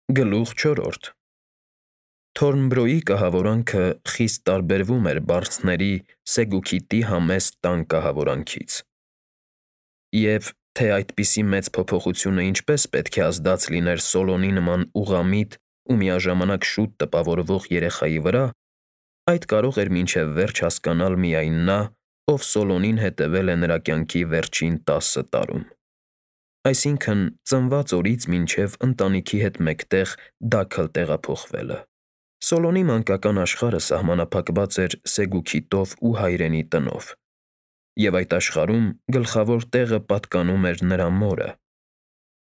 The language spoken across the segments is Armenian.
Գլուխ 4. Թորնբրոյի կահավորանքը խիստ տարբերվում էր բարձների Սեգուքիտի համեստ տան կահավորանքից, և թե այդպիսի մեծ փոփոխությունը ինչպես պետք է ազդած լիներ Սոլոնի նման ուղղամիտ ու միաժամանակ շուտ տպավորվող երեխայի վրա, այդ կարող էր մինչև վերջ հասկանալ միայն նա, ով Սոլոնին հետևել է նրա կյանքի վերջին 10 տարում, այսինքն՝ ծնված օրից մինչև ընտանիքի հետ մեկտեղ դագլը տեղափոխվելը։ Սոլոնի մանկական աշխարհը սահմանափակված էր Սեգուքիտով ու հայրենի տնով, և այդ աշխարհում գլխավոր տեղը պատկանում էր նրա մորը,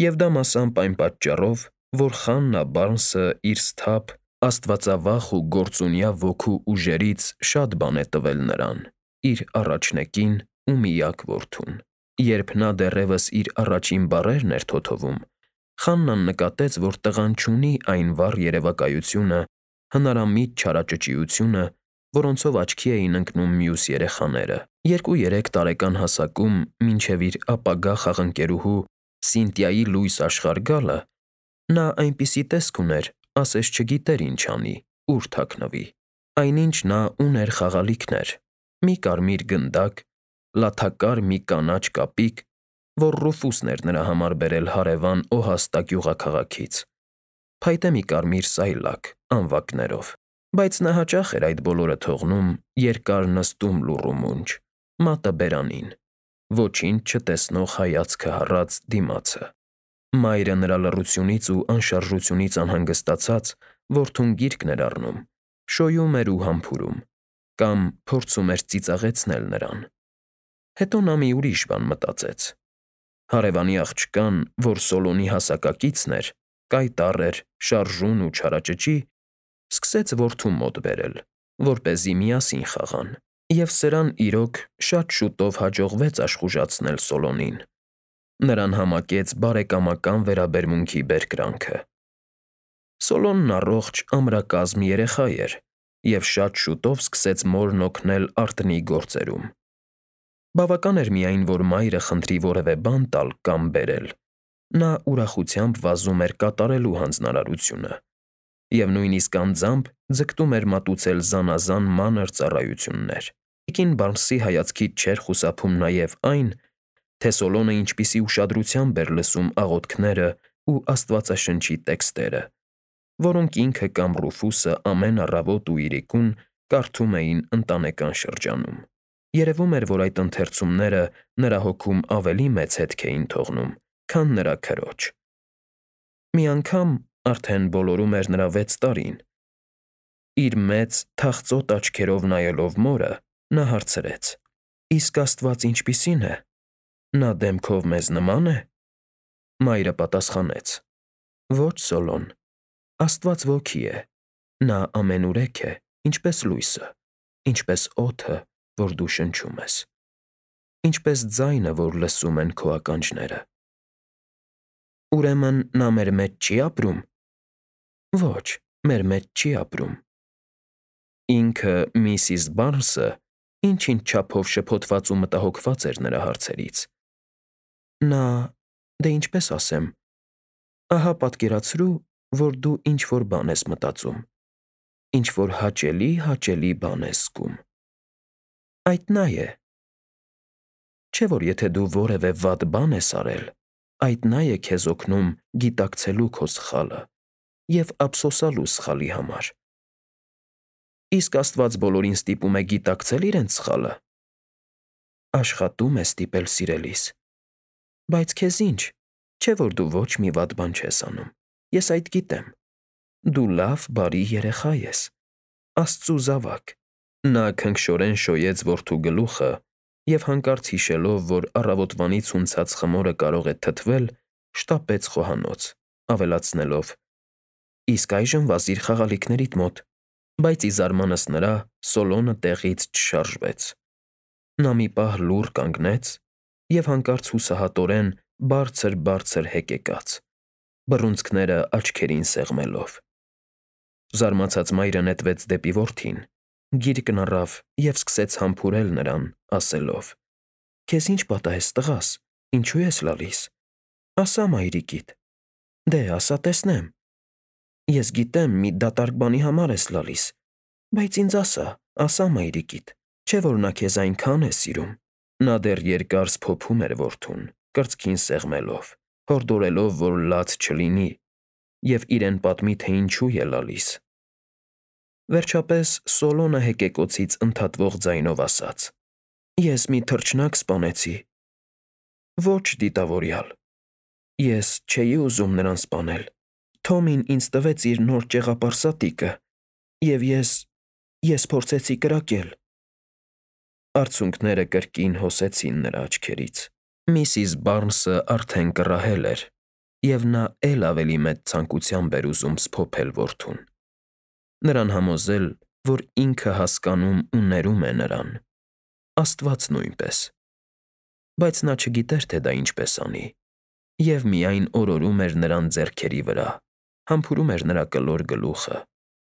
և դա մասամբ այն պատճառով, որ խաննա Բարնսը իր սթափ, աստվածավախ ու գործունյա ոգու ուժերից շատ բան է տվել նրան՝ իր առաջնեկին ու միակ որդուն։ Երբ նա դեռևս իր առաջին բառերն էր թոթովում, Խաննան նկատեց, որ տղան չունի այն վառ երևակայությունը, հնարամիտ չարաճճիությունը, որոնցով աչքի էին ընկնում մյուս երեխաները։ 2-3 տարեկան հասակում, մինչև իր ապագա խաղընկերուհու Սինտիայի լույս աշխարհ գալը, նա այնպիսի տեսք ուներ, ասես չգիտեր ինչ անի, ուր թաքնվի։ Այնինչ նա ուներ խաղալիքներ՝ մի կարմիր գնդակ, լաթակար մի կանաչ կապիկ, որ Ռուֆուսն էր նրա համար բերել հարևան Օհաստա գյուղաքաղաքից, փայտե մի կարմիր սայլակ անվակներով, բայց նա հաճախ էր այդ բոլորը թողնում երկար նստում լուռու մունջ, մատը բերանին, ոչինչ չտեսնող հայացքը հառած դիմացը։ Մայրը նրա լռությունից ու անշարժությունից անհանգստացած, որդուն գիրկն էր առնում, շոյում էր ու համբուրում, կամ փորձում էր ծիծաղեցնել նրան։ Հետո նա մի ուրիշ բան մտածեց. հարևանի աղջկան, որ Սոլոնի հասակակիցն էր, կայտառ էր, շարժուն ու չարաճճի, սկսեց որդու մոտ բերել, որպեսզի միասին խաղան, և սրան, իրոք, շատ շուտով հաջողվեց աշխուժացնել Սոլոնին։ Նրան համակեց բարեկամական վերաբերմունքի բերկրանքը։ Սոլոնն առողջ, ամրակազմ երեխա էր և շատ շուտով սկսեց մորն օգնել արտնի գործերում։ Բավական էր միայն, որ մայրը խնդրի որևէ բան տալ կամ բերել, նա ուրախությամբ վազում էր կատարելու հանձնարարությունը և նույնիսկ անձամբ ձգտում էր մատուցել զանազան մանր ծառայություններ։ Տիկին Բարնսի հայացքից չէր խուսափում նաև այն, թե Սոլոնը ինչպիսի ուշադրությամբ էր լսում աղոթքները ու Աստվածաշնչի տեքստերը, որոնք ինքը կամ Ռուֆուսը ամեն առավոտ ու իրիկուն կարդում էին ընտանեկան շրջանում։ Երևում էր, որ այդ ընթերցումները նրա հոգում ավելի մեծ հետք էին թողնում, քան նրա քրոջ։ Մի անգամ, արդեն բոլորում էր նրա 6 տարին, իր մեծ, թախծոտ աչքերով նայելով մորը, նա հարցրեց. «Իսկ Աստված ինչպիսի՞ն է, նա դեմքով մեզ նմա՞ն է»։ Մայրը պատասխանեց. «Ոչ, Սոլոն, Աստված ոգի է, նա ամենուրեք է, ինչպես լույսը, ինչպես օդը, որ դու շնչում ես, ինչպես ձայնը, որ լսում են քո ականջները»։ Ուրեմն նա մեր մեջ չի՞ ապրում։ Ոչ, մեր մեջ չի ապրում։ Ինքը միսիս Բարնսը ինչ-ինչ չափով շփոթված ու մտահոգված էր նրա հարցերից։ Նա, դե ինչպես ասեմ, ահա պատկերացրու, որ դու ինչ֊որ բան ես մտածում, ինչ֊որ հաճելի բան ես զգում։ Այդ նա է։ Չէ՞ որ եթե դու որևէ վատ բան ես արել, այդ նա է քեզ օգնում գիտակցելու քո սխալը և ափսոսալու սխալի համար։ Իսկ Աստված բոլորին ստիպում է գիտակցել իրենց սխալը։ Աշխատում է ստիպել, սիրելիս։ Բայց քեզ ի՞նչ, չէ՞ որ դու ոչ մի վատ բան չես անում, ես այդ գիտեմ։ Դու լավ, բարի երեխա ես, Աստծու զավակ։ Նա քնքշորեն շոյեց որդու գլուխը և հանկարծ հիշելով, որ առավոտվանից հունցած խմորը կարող է թթվել, շտապեց խոհանոց, ավելացնելով. «Իսկ այժմ վազիր խաղալիքներիդ մոտ»։ Բայց ի զարմանս նրա, Սոլոնը տեղից չշարժվեց։ Նա մի պահ լուռ կանգնեց և հանկարծ հուսահատորեն բարձր հեկեկաց, բռունցքները աչքերին սեղմելով։ Զարմացած մայրը նետվեց դեպի որդին, գիրկն առավ և սկսեց համբուրել նրան, ասելով. «Քեզ ի՞նչ պատահեց, տղաս, ինչո՞ւ ես լալիս։ Ասա մայրիկիդ։ Դե, ասա տեսնեմ, Ես գիտեմ, մի դատարկ բանի համար ես լալիս, բայց ինձ ասա մայրիկիդ, չէ՞ որ նա քեզ այնքան է սիրում։ Նա դեռ երկար սփոփում էր որդուն, կրծքին սեղմելով, հորդորելով, որ լաց չլինի, և իրեն պատմի, թե ինչու է լալիս։ Վերջապես Սոլոնը հեկեկոցից ընդհատվող ձայնով ասաց. Ես մի թռչնակ սպանեցի։ Ոչ, դիտավորյալ, ես չէի ուզում նրան սպանել։ Թոմին ինձ տվեց իր նոր ճեղապարսատիկը, և ես փորձեցի կրակել։ Արցունքները կրկին հոսեցին նրա աչքերից։ Միսիս Բարնսը արդեն կռահել էր, և նա էլ ավելի մեծ ցանկությամբ էր ուզում սփոփել որդուն, նրան համոզել, որ ինքը հասկանում ու ներում է նրան, Աստված նույնպես, բայց նա չգիտեր, թե դա ինչպես անի, և միայն օրորում էր նրան ձեռքերի վրա, համբուրում էր նրա կլոր գլուխը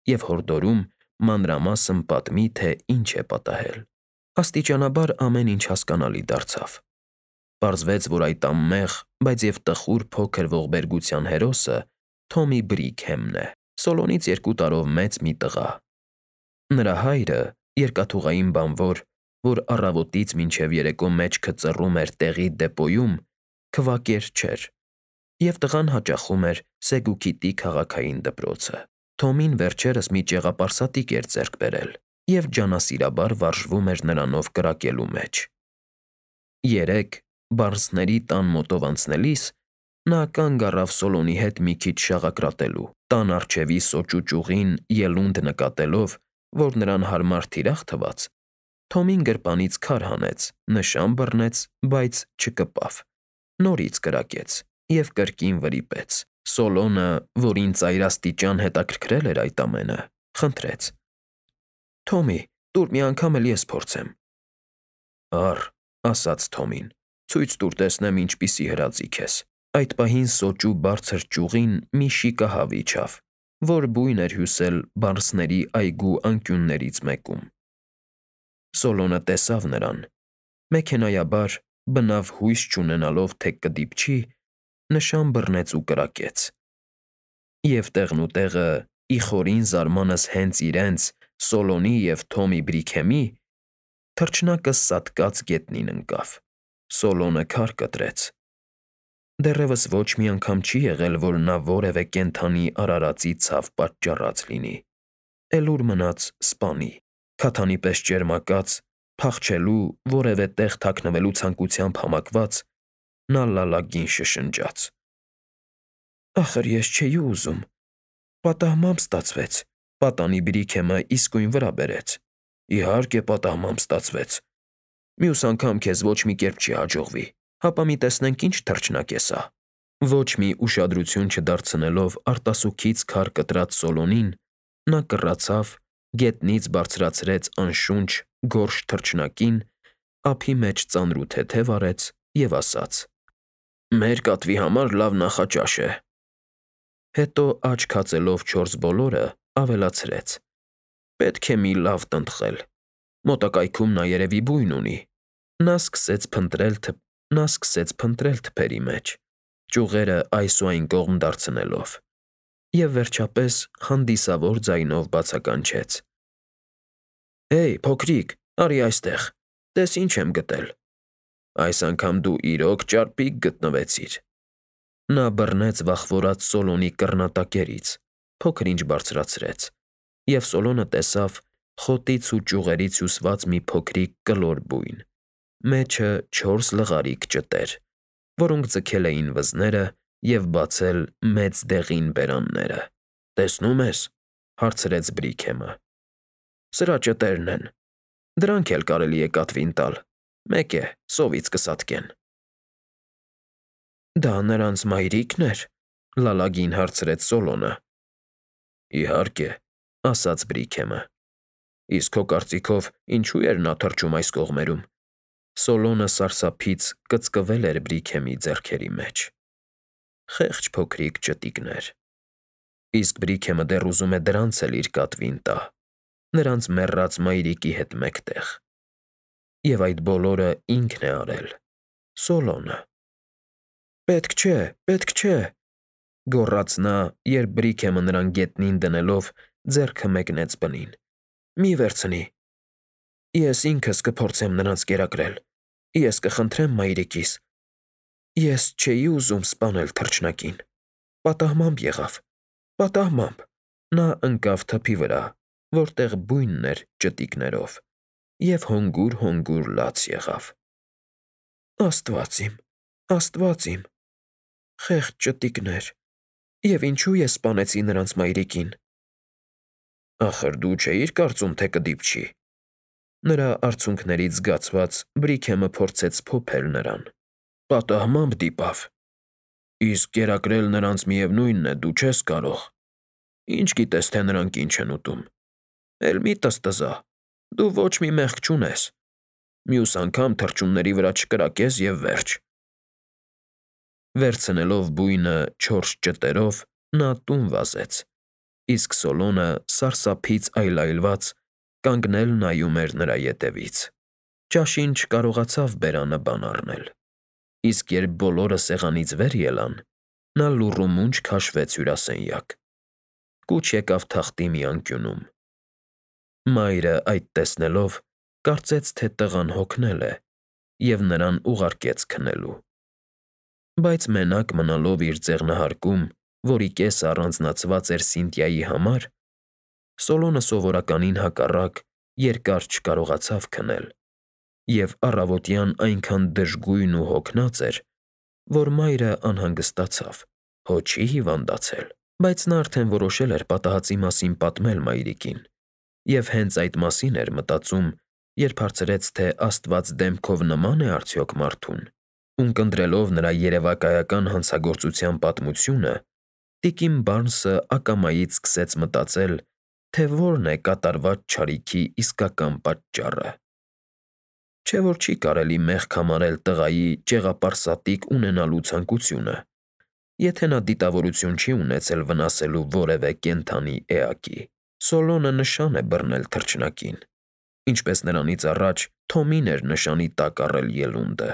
և հորդորում մանրամասն պատմի, թե ինչ է պատահել։ Աստիճանաբար ամեն ինչ հասկանալի դարձավ։ Պարզվեց, որ այդ անմեղ, բայց և տխուր փոքր ողբերգության հերոսը Թոմի Բրիքհեմն է, Սոլոնից 2 տարով մեծ մի տղա։ Նրա հայրը, երկաթուղային բանվոր, որ առավոտից մինչև երեկո մեջքը ծռում էր տեղի դեպոյում, քվակեր չէր, և տղան հաճախում էր Սեգուքիտի քաղաքային դպրոցը։ Թոմին վերջերս մի ճեղապարսատիկ էր ձեռք բերել և ջանասիրաբար վարժվում էր նրանով կրակելու մեջ։ Երեկ, Բարնսների տան մոտով անցնելիս, նա կանգ առավ Սոլոնի հետ մի քիչ շաղակրատելու, տան առջևի սոճու ճյուղին ելունդ նկատելով, որ նրան հարմար թիրախ թվաց, Թոմին գրպանից քար հանեց, նշան բռնեց, բայց չկպավ, նորից կրակեց և կրկին վրիպեց։ Սոլոնը, որին ծայրաստիճան հետաքրքրել էր այդ ամենը, խնդրեց. Թոմի, տուր մի անգամ էլ ես փորձեմ։ Առ, ասաց Թոմին, ցույց տուր տեսնեմ ինչպիսի հրաձիգ ես։ Այդ պահին սոճու բարձր ճյուղին մի շիկահավ իջավ, որ բույն էր հյուսել Բարնսների այգու անկյուններից մեկում։ Սոլոնը տեսավ նրան, մեքենայաբար, բնավ հույս չունենալով, թե կդիպչի, նշան բռնեց ու կրակեց։ Եվ տեղնուտեղը, ի խորին զարմանս հենց իրենց՝ Սոլոնի և Թոմի Բրիքհեմի, թռչնակը սատկած գետնին ընկավ։ Սոլոնը քար կտրեց։ Դեռևս ոչ մի անգամ չի եղել, որ նա որևէ կենդանի արարածի ցավ պատճառած լինի։ Էլ ուր մնաց սպանի։ Քաթանի պես ճերմակած, փախչելու, որևէ տեղ թաքնվելու ցանկությամբ համակված, նա լալագին շշնջաց. Ախր ես չէի ուզում։ Պատահմամբ ստացվեց։ Պատանի Բրիքհեմը իսկույն վրա բերեց։ Իհարկե պատահմամբ ստացվեց։ Մյուս անգամ քեզ ոչ մի կերպ չի հաջողվի, հապա մի տեսնենք ինչ թռչնակ է սա։ Ոչ մի ուշադրություն չդարձնելով արտասուքից քար կտրած Սոլոնին, նա կռացավ, գետնից բարձրացրեց անշունչ, գորշ թռչնակին, ափի մեջ ծանրութեթև արեց և ասաց. Մեր կատվի համար լավ նախաճաշ է։ Հետո աչք հացելով 4 բոլորը, ավելացրեց. Պետք է մի լավ տնտղել։ Մոտակայքում նա երևի բույն ունի։ Նա սկսեց փնտրել թփերի մեջ, ճյուղերը այս ու այն կողմ դարձնելով, և վերջապես հանդիսավոր ձայնով բացականչեց. Հեյ, փոքրիկ, արի այստեղ, տես ինչ եմ գտել։ Այս անգամ դու իրոք ճարպիկ գտնվեցիր։ Նա բռնեց վախվորած Սոլոնի կռնատակերից, փոքր-ինչ բարձրացրեց, և Սոլոնը տեսավ խոտից ու ճյուղերից հյուսված մի փոքրիկ կլոր բույն, մեջը 4 լղարիկ ճտեր, որոնք ձգել էին վզները և բացել մեծ դեղին բերանները։ Տեսնո՞ւմ ես, հարցրեց Բրիքհեմը։ Սրա ճտերն են։ Դրանք էլ կարելի է կատվին տալ։ Մեկ է, սովից կսատկեն։ Դա նրանց մայրիկն էր, լալագին հարցրեց Սոլոնը։ Իհարկե, ասաց Բրիքհեմը։ Իսկ քո կարծիքով ինչու էր նա թռչում այս կողմերում։ Սոլոնը սարսափից կծկվել էր Բրիքհեմի ձեռքերի մեջ։ Խեղճ փոքրիկ ճտիկներ։ Իսկ Բրիքհեմը դեռ ուզում է դրանց էլ իր կատվին տա, նրանց մեռած մայրիկի հետ մեկտեղ։ Եվ այդ բոլորը ինքն է արել, Սոլոնը։ Պետք չէ, գոռաց նա, երբ Բրիքեմը նրան գետնին դնելով ձեռքը մեկնեց բնին։ Մի վերցնի։ Ես ինքս կփորձեմ նրանց կերակրել։ Ես կխնդրեմ մայրիկիս։ Ես չէի ուզում սպանել թռչնակին։ Պատահմամբ եղավ։ Պատահմամբ։ Նա ընկավ թփի վրա, որտեղ բույնն էր ճտիկներով, և հոնգուր լաց եղավ։ Աստված իմ, խեղճ ճտիկներ, և ինչու ես սպանեցի նրանց մայրիկին։ Ախր դու չէիր կարծում, թե կդիպչի։ Նրա արցունքներից զգացված Բրիքեմը փորձեց փոփել նրան։ Պատահմամբ դիպավ։ Իսկ կերակրել նրանց միևնույնն է, դու չես կարող։ Ինչ գիտես, թե նրանք ինչ են ուտում։ Էլ մի տզտզա, դու ոչ մի մեղք չունես։ Մյուս անգամ թռչունների վրա չկրակես և վերջ։ Վերցնելով բույնը 4 ճտերով, նա տուն վազեց, իսկ Սոլոնը սարսափից այլայլված կանգնել նայում էր նրա ետևից։ Ճաշին չկարողացավ բերանը բան առնել, իսկ երբ բոլորը սեղանից վեր ելան, նա լուռումունջ քաշվեց հյուրասենյակ։ Կուչ եկավ թախտի մի անկյունում։ Մայրը այդ տեսնելով կարծեց, թե տղան հոգնել է, և նրան ուղարկեց քնելու։ Բայց մենակ մնալով իր ձեղնահարկում, որի կեսը առանձնացված էր Սինթիայի համար, Սոլոնը սովորականին հակառակ երկար չկարողացավ քնել, և առավոտյան այնքան դժգույն ու հոգնած էր, որ մայրը անհանգստացավ, հո չի հիվանդացել։ Բայց նա արդեն որոշել էր պատահածի մասին պատմել մայրիկին, և հենց այդ մասին էր մտածում, երբ հարցրեց, թե Աստված դեմքով նման է արդյոք մարդուն։ Ունկնդրելով նրա երևակայական հանցագործության պատմությունը, տիկին Բարնսը ակամայից սկսեց մտածել, թե որն է կատարված չարիքի իսկական պատճառը։ Չէ՞ որ չի կարելի մեղք համարել տղայի ճեղապարսատիկ ունենալու ցանկությունը, եթե նա դիտավորություն չի ունեցել վնասելու որևէ կենդանի էակի։ Սոլոնը նշան է բռնել թռչնակին, ինչպես նրանից առաջ Թոմին էր նշանի տակ առել ելունդը։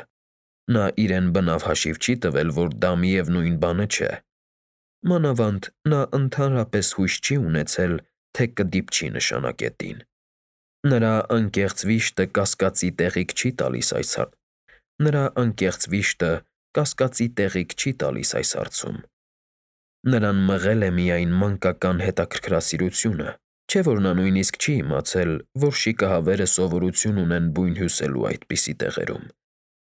Նա իրեն բնավ հաշիվ չի տվել, որ դա միևնույն բանը չէ։ Մանավանդ նա ընդհանրապես հույս չի ունեցել, թե կդիպչի նշանակետին։ Նրա անկեղծ վիշտը կասկածի տեղիք չի տալիս այս հարցում։ Նրան մղել է միայն մանկական հետաքրքրասիրությունը, չէ՞ որ նա նույնիսկ չի իմացել, որ շիկահավերը սովորություն ունեն բույն հյուսելու այդպիսի տեղերում,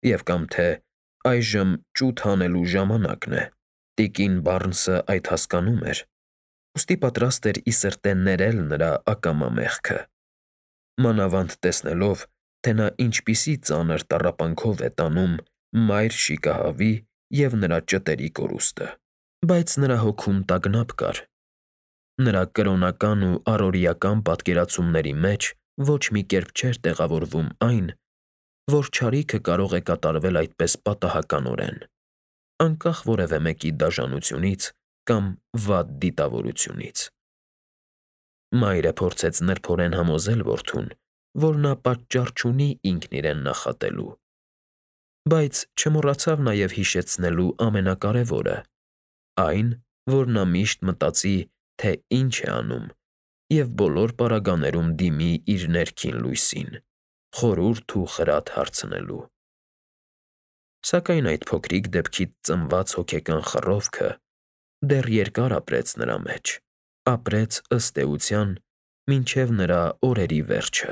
և կամ թե այժմ ճութ հանելու ժամանակն է։ Տիկին Բարնսը այդ հասկանում էր, ուստի պատրաստ էր ի սրտե ներել նրա ակամա մեղքը, մանավանդ տեսնելով, թե նա ինչպիսի ծանր տառապանքով է տանում մայր շիկահավի և նրա ճտերի կորուստը։ Բայց նրա հոգում տագնապ կար։ Նրա կրոնական ու առօրեական պատկերացումների մեջ ոչ մի կերպ չէր տեղավորվում այն, որ չարիքը կարող է կատարվել այդպես պատահականորեն, անկախ որևէ մեկի դաժանությունից կամ վատ դիտավորությունից։ Մայրը փորձեց նրբորեն համոզել որդուն, որ նա պատճառ չունի ինքն իրեն նախատելու, բայց չմոռացավ նաև հիշեցնելու ամենակարևորը՝ այն, որ նա միշտ մտածի, թե ինչ է անում, և բոլոր պարագաներում դիմի իր ներքին լույսին, խորհուրդ ու խրատ հարցնելու։ Սակայն այդ փոքրիկ դեպքից ծնված հոգեկան խռովքը դեռ երկար ապրեց նրա մեջ, ապրեց ըստ էության մինչև նրա օրերի վերջը։